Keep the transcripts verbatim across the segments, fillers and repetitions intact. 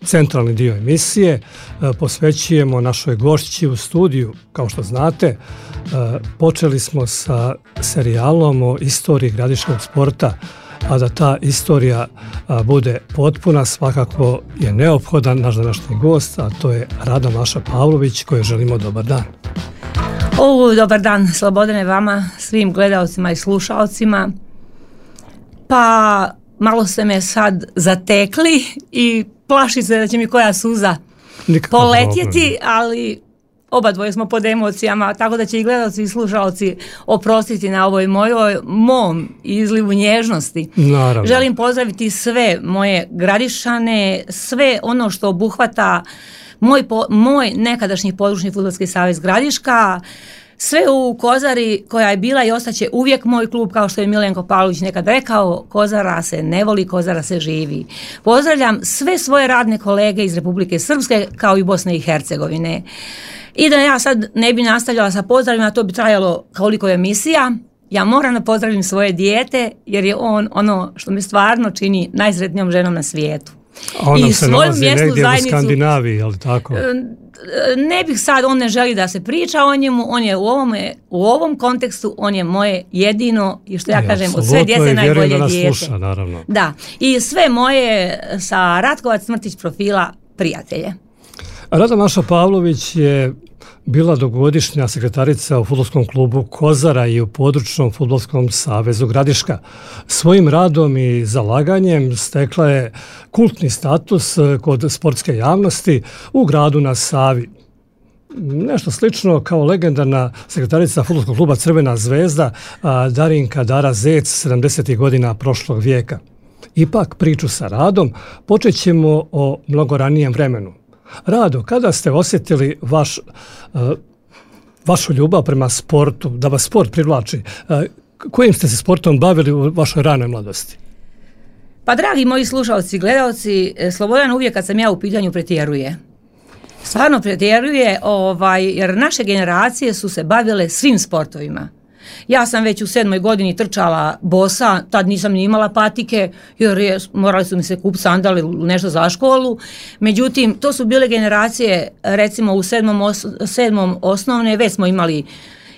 centralni dio emisije posvećujemo našoj gošći u studiju. Kao što znate, počeli smo sa serijalom o istoriji gradiškog sporta, a da ta istorija bude potpuna, svakako je neophodan naš današnji gost, a to je Rada Maša Pavlović, kojoj želimo dobar dan. O, dobar dan, Slobodane, vama, svim gledalcima i slušalcima. Pa malo ste me sad zatekli i plaši se da će mi koja suza Nikakav poletjeti, problem. Ali oba dvoje smo pod emocijama, tako da će i gledalci i slušalci oprostiti na ovoj mojoj mom izlivu nježnosti. Naravno. Želim pozdraviti sve moje Gradišane, sve ono što obuhvata moj, po, moj nekadašnji područni fudbalski savez Gradiška, sve u Kozari koja je bila i ostaće uvijek moj klub, kao što je Milenko Pavlović nekad rekao, Kozara se ne voli, Kozara se živi. Pozdravljam sve svoje radne kolege iz Republike Srpske kao i Bosne i Hercegovine. I da ja sad ne bi nastavljala sa pozdravima, to bi trajalo koliko je emisija. Ja moram da pozdravim svoje dijete, jer je on ono što me stvarno čini najsretnijom ženom na svijetu. A on se nalazi negdje u Skandinaviji, ali tako? Ne bih sad, on ne želi da se priča o njemu, on je u ovom, u ovom kontekstu, on je moje jedino, i što ja, ja kažem, od sve djece najbolje da dijete. Sluša, naravno. Da, i sve moje sa Ratkovac Smrtić profila prijatelje. Rada Maša Pavlović je bila dugogodišnja sekretarica u fudbalskom klubu Kozara i u područnom fudbalskom savezu Gradiška. Svojim radom i zalaganjem stekla je kultni status kod sportske javnosti u gradu na Savi. Nešto slično kao legendarna sekretarica fudbalskog kluba Crvena zvezda Darinka Dara Zec sedamdesetih godina prošlog vijeka. Ipak priču sa Radom počet ćemo o mnogo ranijem vremenu. Rado, kada ste osjetili vaš, uh, vašu ljubav prema sportu, da vas sport privlači, uh, kojim ste se sportom bavili u vašoj ranoj mladosti? Pa dragi moji slušalci i gledalci, Slobodan uvijek kad sam ja u pitanju pretjeruje. Stvarno pretjeruje, ovaj, jer naše generacije su se bavile svim sportovima. Ja sam već u sedmoj godini trčala bosa, tad nisam ni imala patike, jer je, morali su mi se kupiti sandale nešto za školu. Međutim, to su bile generacije, recimo u sedmom, os, sedmom osnovne, već smo imali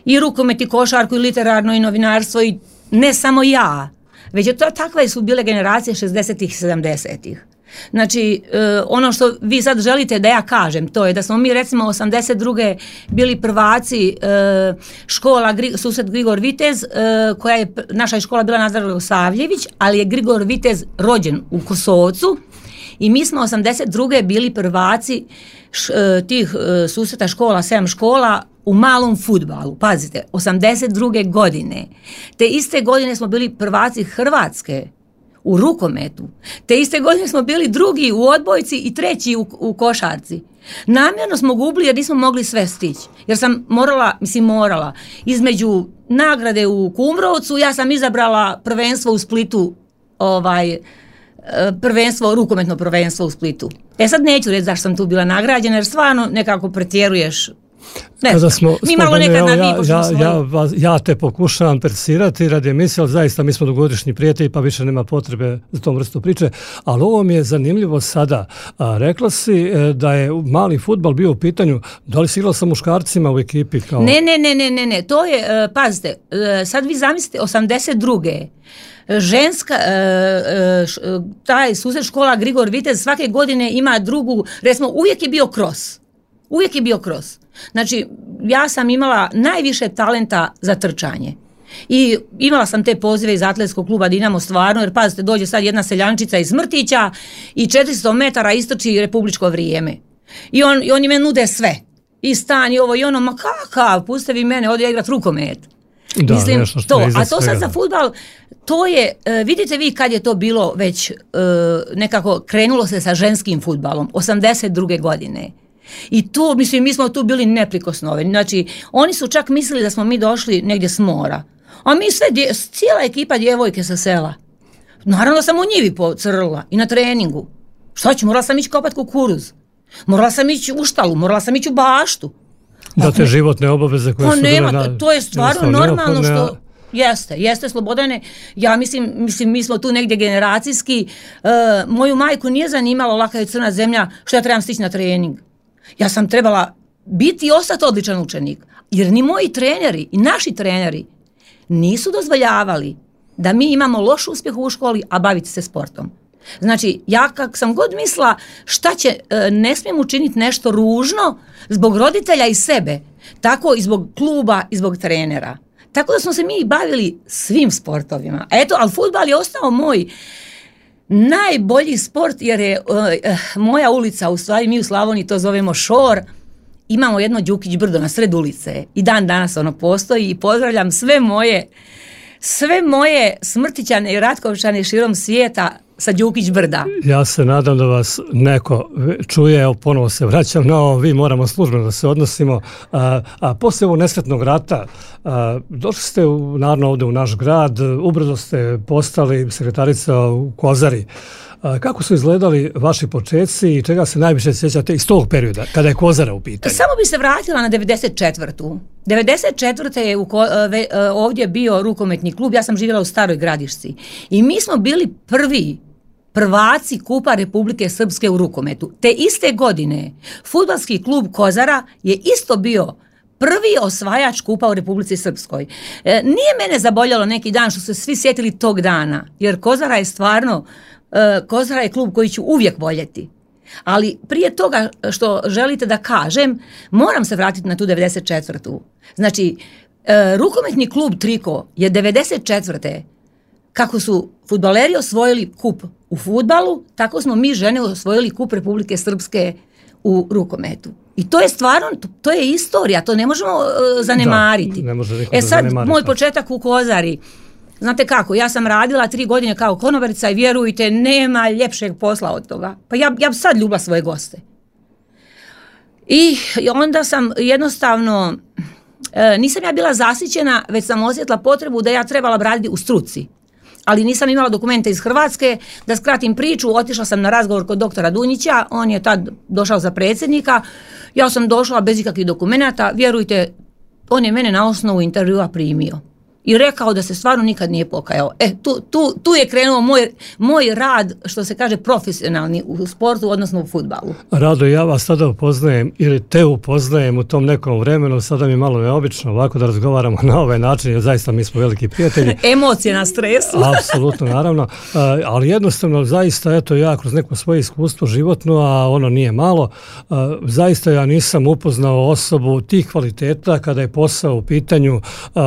i rukomet, i košarku, i literarno, i novinarstvo, i ne samo ja, već je to, takve su bile generacije šezdesetih i sedamdesetih. Znači, e, ono što vi sad želite da ja kažem, to je da smo mi recimo osamdeset druge bili prvaci e, škola Gri, susret Grigor Vitez, e, koja je, naša škola bila Nazar Savljević, ali je Grigor Vitez rođen u Kosovcu i mi smo osamdeset druge bili prvaci š, e, tih e, susreta škola, sedam škola u malom fudbalu. Pazite, osamdeset druge godine. Te iste godine smo bili prvaci Hrvatske u rukometu. Te iste godine smo bili drugi u odbojci i treći u, u košarci. Namjerno smo gubili jer nismo mogli sve stići. Jer sam morala, mislim morala, između nagrade u Kumrovcu, ja sam izabrala prvenstvo u Splitu, ovaj, prvenstvo, rukometno prvenstvo u Splitu. E sad neću reći zašto sam tu bila nagrađena, jer stvarno nekako pretjeruješ. Ne, kada smo, mi malo nekad na ja, ja, ja, ja, ja te pokušavam persirati radi emisije, ali zaista mi smo dugogodišnji prijatelji pa više nema potrebe za tom vrstu priče, ali ovo mi je zanimljivo sada. A, rekla si da je mali fudbal bio u pitanju, da li si igrala sa muškarcima u ekipi? Kao... Ne, ne, ne, ne, ne, ne, to je, uh, pazite, uh, sad vi zamislite osamdeset druge ženska, uh, uh, taj susret škola Grigor Vitez svake godine ima drugu, recimo uvijek je bio kros. Uvijek je bio kros. Znači, ja sam imala najviše talenta za trčanje. I imala sam te pozive iz atletskog kluba Dinamo stvarno, jer pazite, dođe sad jedna seljančica iz Smrtića i četiristo metara istrči republičko vrijeme. I, on, i oni me nude sve. I stan i ovo i ono, ma kakav, puste vi mene, odi ja igrat rukomet. Da, mislim, nešto što to, je iza a to sad za fudbal, to je, vidite vi kad je to bilo već nekako krenulo se sa ženskim fudbalom, osamdeset druge godine. I tu, mislim, mi smo tu bili neprikosnoveni. Znači, oni su čak mislili da smo mi došli negdje s mora. A mi sve, dje, cijela ekipa djevojke sa sela. Naravno da sam u njivi pocrla i na treningu. Šta ću, morala sam ići kopat kukuruz. Morala sam ići u štalu, morala sam ići u baštu. Da te životne obaveze koje pa su nema, bile na... To je stvarno normalno što... Jeste, jeste Slobodane. Ja mislim, mislim mi smo tu negdje generacijski. E, moju majku nije zanimalo laka je crna zemlja što ja trebam stići na trening. Ja sam trebala biti i ostati odličan učenik. Jer ni moji treneri i naši treneri nisu dozvoljavali da mi imamo loš uspjeh u školi, a baviti se sportom. Znači, ja kak sam god mislila šta će, ne smijem učiniti nešto ružno zbog roditelja i sebe, tako i zbog kluba i zbog trenera. Tako da smo se mi bavili svim sportovima. Eto, ali fudbal je ostao moj najbolji sport jer je uh, moja ulica, u stvari mi u Slavoniji to zovemo šor, imamo jedno Đukić brdo na sred ulice i dan danas ono postoji i pozdravljam sve moje sve moje Smrtićane i Ratkovčane širom svijeta sa Đukić brda. Ja se nadam da vas neko čuje, evo ponovo se vraćam na ovo, vi moramo službeno da se odnosimo, a, a poslije ovog nesretnog rata a, došli ste u, naravno ovdje u naš grad, ubrzo ste postali sekretarica u Kozari. A, kako su izgledali vaši početci i čega se najviše sjećate iz tog perioda, kada je Kozara u pitanju? Samo bi se vratila na devedeset četvrtu. devedeset četvrte je u, ovdje bio rukometni klub, ja sam živjela u Staroj Gradišci i mi smo bili prvi prvaci Kupa Republike Srpske u rukometu. Te iste godine fudbalski klub Kozara je isto bio prvi osvajač kupa u Republici Srpskoj. E, nije mene zaboljalo neki dan što su se svi sjetili tog dana, jer Kozara je stvarno, e, Kozara je klub koji ću uvijek voljeti. Ali prije toga što želite da kažem, moram se vratiti na tu devedeset četvrtu. Znači, e, rukometni klub Triko je devedeset četvrte kako su fudbaleri osvojili kup u fudbalu, tako smo mi žene osvojili kup Republike Srpske u rukometu. I to je stvarno, to, to je istorija, to ne možemo uh, zanemariti. Da, ne može e sad, moj početak u Kozari, znate kako, ja sam radila tri godine kao konobarica i vjerujte, nema ljepšeg posla od toga. Pa ja, ja sad ljubila svoje goste. I onda sam jednostavno, e, nisam ja bila zasićena, već sam osjetila potrebu da ja trebala raditi u struci. Ali nisam imala dokumente iz Hrvatske, da skratim priču, otišla sam na razgovor kod doktora Dunjića, on je tad došao za predsjednika, ja sam došla bez ikakvih dokumenata, vjerujte, on je mene na osnovu intervjua primio i rekao da se stvarno nikad nije pokajao. E, tu, tu, tu je krenuo moj, moj rad, što se kaže, profesionalni u sportu, odnosno u fudbalu. Rado, ja vas sada upoznajem ili te upoznajem u tom nekom vremenu, sada mi je malo neobično ovako da razgovaramo na ovaj način, jer zaista mi smo veliki prijatelji. Emocije na stresu. Apsolutno, naravno, ali jednostavno zaista, eto ja kroz neko svoje iskustvo životno, a ono nije malo, zaista ja nisam upoznao osobu tih kvaliteta kada je posao u pitanju,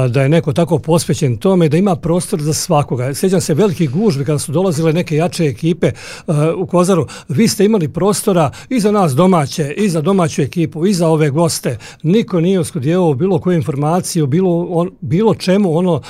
da je neko tako posvećen tome, da ima prostor za svakoga. Sjećam se velikih gužvi kada su dolazile neke jače ekipe uh, u Kozaru. Vi ste imali prostora i za nas domaće, i za domaću ekipu, i za ove goste. Niko nije uskudjevao bilo koju informaciju, bilo, on, bilo čemu ono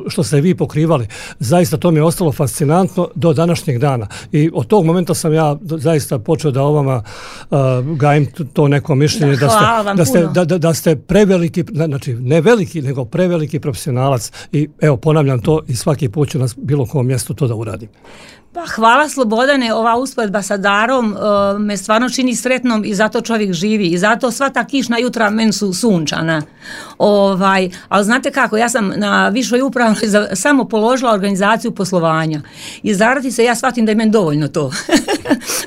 što ste vi pokrivali. Zaista to mi je ostalo fascinantno do današnjeg dana. I od tog momenta sam ja zaista počeo da o vama uh, gajim to neko mišljenje da, da, ste, da, ste, da, da, da ste preveliki, znači ne veliki, nego preveliki profesionalac. I evo, ponavljam to i svaki put ću na bilo kom mjestu to da uradim. Pa hvala Slobodane, ova usporedba sa Darom uh, me stvarno čini sretnom i zato čovjek živi i zato sva ta kišna jutra meni su sunčana. Ovaj, ali znate kako, ja sam na višoj upravnoj samo položila organizaciju poslovanja i zaradi se ja shvatim da je meni dovoljno to.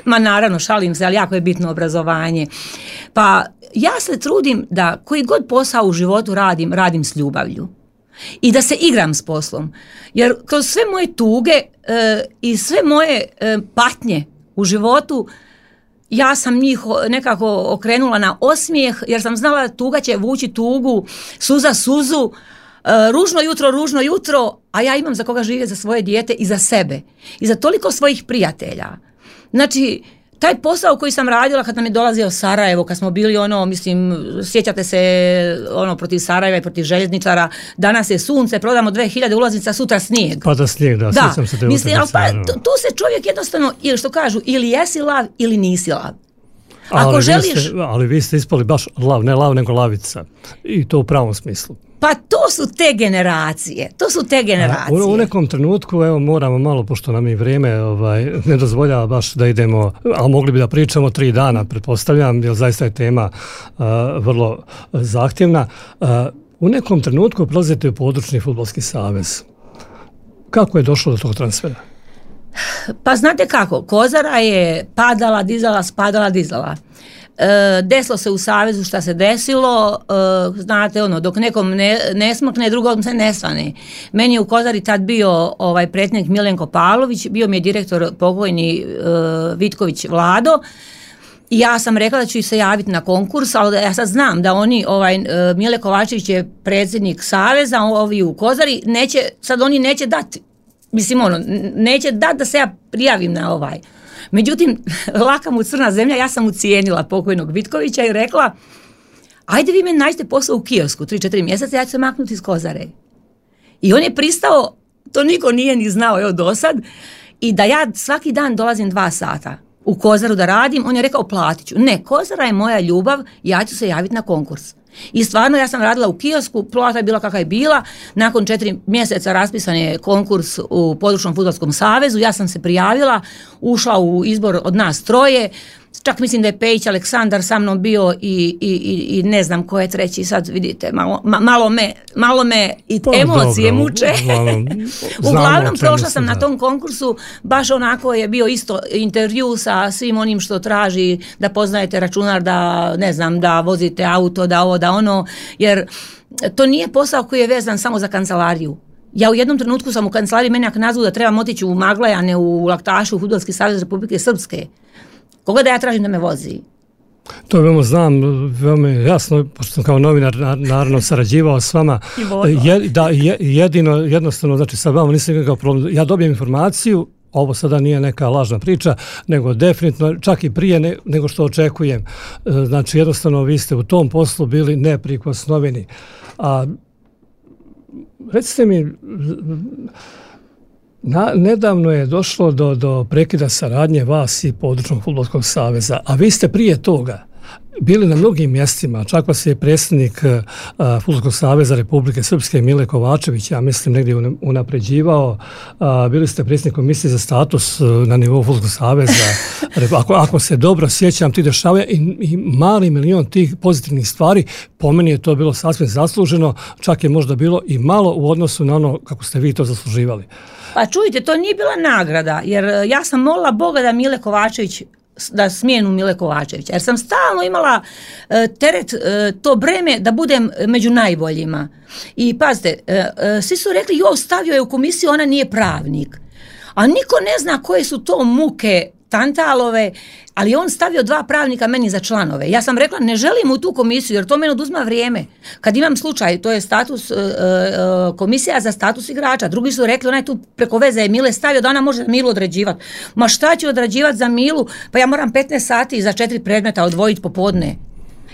Ma naravno, šalim se, ali jako je bitno obrazovanje. Pa ja se trudim da koji god posao u životu radim, radim s ljubavlju. I da se igram s poslom. Jer kroz sve moje tuge e, i sve moje e, patnje u životu, ja sam njih nekako okrenula na osmijeh, jer sam znala da tuga će vući tugu, suza suzu, e, ružno jutro, ružno jutro, a ja imam za koga živjeti, za svoje dijete i za sebe. I za toliko svojih prijatelja. Znači, taj posao koji sam radila kad nam je dolazio Sarajevo, kad smo bili ono, mislim, sjećate se ono protiv Sarajeva i protiv željezničara, danas je sunce, prodamo dve hiljade ulaznica, sutra snijeg. Pa da snijeg, da, da. sjećam se te mislim, pa, tu, tu se čovjek jednostavno, ili što kažu, ili jesi lav ili nisi lav. Ako ali, želiš... vi ste, ali vi ste ispali baš lav, ne lav nego lavica. I to u pravom smislu. Pa to su te generacije, to su te generacije. U, u nekom trenutku, evo moramo malo, pošto nam i vrijeme ovaj, ne dozvoljava baš da idemo, a mogli bi da pričamo tri dana, pretpostavljam, jer zaista je tema uh, vrlo zahtjevna. Uh, U nekom trenutku prelazite u područni fudbalski savez. Kako je došlo do tog transfera? Pa znate kako, Kozara je padala, dizala, spadala, dizala. E, desilo se u savezu šta se desilo, e, znate ono, dok nekom ne, ne smrkne, drugom se ne svane. Meni je u Kozari tad bio ovaj predsjednik Milenko Pavlović, bio mi je direktor pokojni e, Vitković Vlado. I ja sam rekla da ću se javiti na konkurs, ali ja sad znam da oni, ovaj, Mile Kovačević je predsjednik saveza, ovi u Kozari, neće, sad oni neće dati, mislim ono, neće dati da se ja prijavim na ovaj. Međutim, laka mu crna zemlja, ja sam ucijenila pokojnog Vitkovića i rekla, ajde vi meni nađite posao u kiosku, tri četiri mjeseca, ja ću se maknuti iz Kozare. I on je pristao, to niko nije ni znao, evo do sad, i da ja svaki dan dolazim dva sata u Kozaru da radim, on je rekao platit ću. Ne, Kozara je moja ljubav, ja ću se javiti na konkurs. I stvarno ja sam radila u kiosku, plata je bila kakva je bila, nakon četiri mjeseca raspisan je konkurs u područnom fudbalskom savezu, ja sam se prijavila, ušla u izbor od nas troje, čak mislim da je Pejić Aleksandar sa mnom bio i, i, i, i ne znam ko je treći, sad vidite, malo, ma, malo, me, malo me i pa, emocije dobro, muče. Uglavnom, uglavnom prošla sam da. na tom konkursu, baš onako je bio isto intervju sa svim onim što traži, da poznajete računar, da ne znam, da vozite auto, da ovo, da ono, jer to nije posao koji je vezan samo za kancelariju. Ja u jednom trenutku sam u kancelariji, meni ako nazvu da trebam otići u Maglaj, a ne u Laktašu, u Fudbalski savez Republike Srpske. Koga da ja tražim da me vozi? To veoma znam, veoma jasno, pošto sam kao novinar naravno sarađivao s vama. Je, da, je, jedino, jednostavno, znači sa vama nisam nikakav problem. Ja dobijem informaciju, ovo sada nije neka lažna priča, nego definitivno, čak i prije ne, nego što očekujem. Znači jednostavno vi ste u tom poslu bili neprikosnoveni. A recite mi, Na, nedavno je došlo do, do prekida saradnje vas i područnog fudbalskog saveza, a vi ste prije toga bili na mnogim mjestima, čak vas je predsjednik uh, Fudbalskog saveza Republike Srpske Mile Kovačević, ja mislim, negdje unapređivao, uh, bili ste predsjednik komisije za status uh, na nivou Fudbalskog saveza. ako, ako se dobro sjećam, ti dešavaju i, i mali milion tih pozitivnih stvari, po meni je to bilo sasvim zasluženo, čak je možda bilo i malo u odnosu na ono kako ste vi to zasluživali. Pa čujte, to nije bila nagrada, jer ja sam molila Boga da Mile Kovačević, da smijenu Mile Kovačevića, jer sam stalno imala e, teret, e, to breme da budem među najboljima. I pazite, e, e, svi su rekli, jo, stavio je u komisiju, ona nije pravnik. A niko ne zna koje su to muke Tantalove, ali on stavio dva pravnika meni za članove. Ja sam rekla, ne želim u tu komisiju, jer to meni oduzma vrijeme. Kad imam slučaj, to je status, e, e, komisija za status igrača. Drugi su rekli, ona je tu preko veze je Mile stavio da ona može Milu odrađivati. Ma šta ću odrađivati za Milu? Pa ja moram petnaest sati za četiri predmeta odvojiti popodne.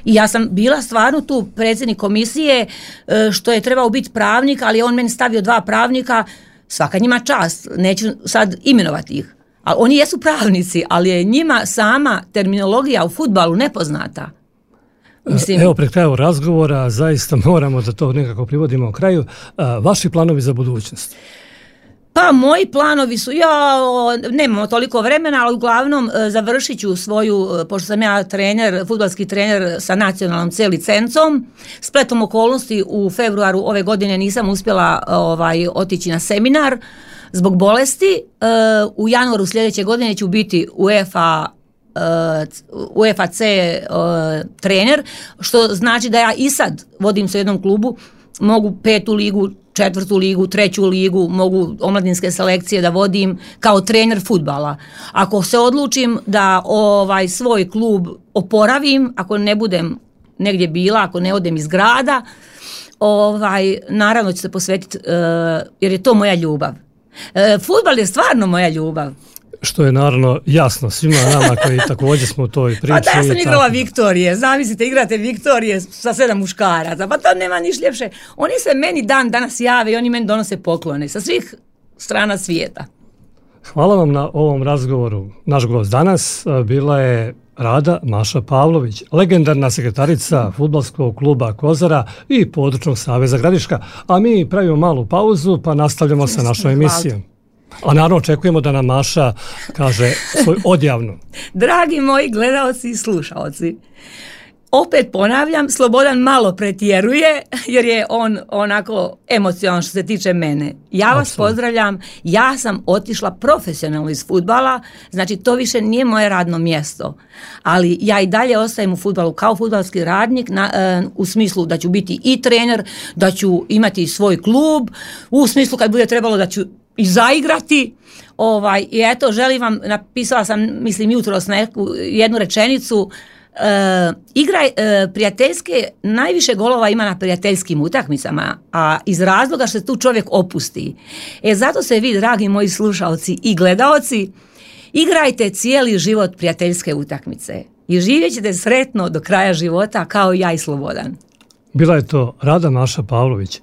I ja sam bila stvarno tu predsjednik komisije, e, što je trebao biti pravnik, ali on meni stavio dva pravnika, svaka njima čast, neću sad imenovati ih. Ali oni jesu pravnici, ali je njima sama terminologija u fudbalu nepoznata. Mislim, evo, pred kraju razgovora, zaista moramo da to nekako privodimo u kraju. Vaši planovi za budućnost? Pa moji planovi su, ja nemamo toliko vremena, ali uglavnom završit ću svoju, pošto sam ja trener, fudbalski trener sa nacionalnom C licencom, spletom okolnosti u februaru ove godine nisam uspjela ovaj, otići na seminar zbog bolesti. U januaru sljedeće godine ću biti UEFA UEFA C trener, što znači da ja i sad vodim se u jednom klubu, mogu petu ligu, četvrtu ligu, treću ligu, mogu omladinske selekcije da vodim kao trener fudbala. Ako se odlučim da ovaj svoj klub oporavim, ako ne budem negdje bila, ako ne odem iz grada, ovaj, naravno ću se posvetiti, uh, jer je to moja ljubav. Uh, fudbal je stvarno moja ljubav. Što je naravno jasno svima nama koji također smo u toj priči. Pa da, ja sam igrala Viktorije, zamislite, igrate Viktorije sa sedam muškaraca, pa to nema niš ljepše. Oni se meni dan danas jave i oni meni donose poklone sa svih strana svijeta. Hvala vam na ovom razgovoru. Naš gost danas bila je Rada Maša Pavlović, legendarna sekretarica fudbalskog kluba Kozara i područnog saveza Gradiška. A mi pravimo malu pauzu pa nastavljamo sa našom emisijom. A naravno očekujemo da nam Maša kaže svoju odjavnu. Dragi moji gledaoci i slušaoci, opet ponavljam, Slobodan malo pretjeruje jer je on onako emocionalan što se tiče mene. Ja vas Absolutno. pozdravljam, ja sam otišla profesionalno iz fudbala, znači to više nije moje radno mjesto, ali ja i dalje ostajem u fudbalu kao fudbalski radnik na, e, u smislu da ću biti i trener, da ću imati svoj klub, u smislu kad bude trebalo da ću i zaigrati. Ovaj, i eto, želim vam, napisala sam, mislim, jutros neku, jednu rečenicu, e, igraj e, prijateljske, najviše golova ima na prijateljskim utakmicama, a iz razloga što se tu čovjek opusti. E, zato se vi, dragi moji slušalci i gledaoci, igrajte cijeli život prijateljske utakmice i živjet ćete sretno do kraja života kao ja i Slobodan. Bila je to Rada Maša Pavlović.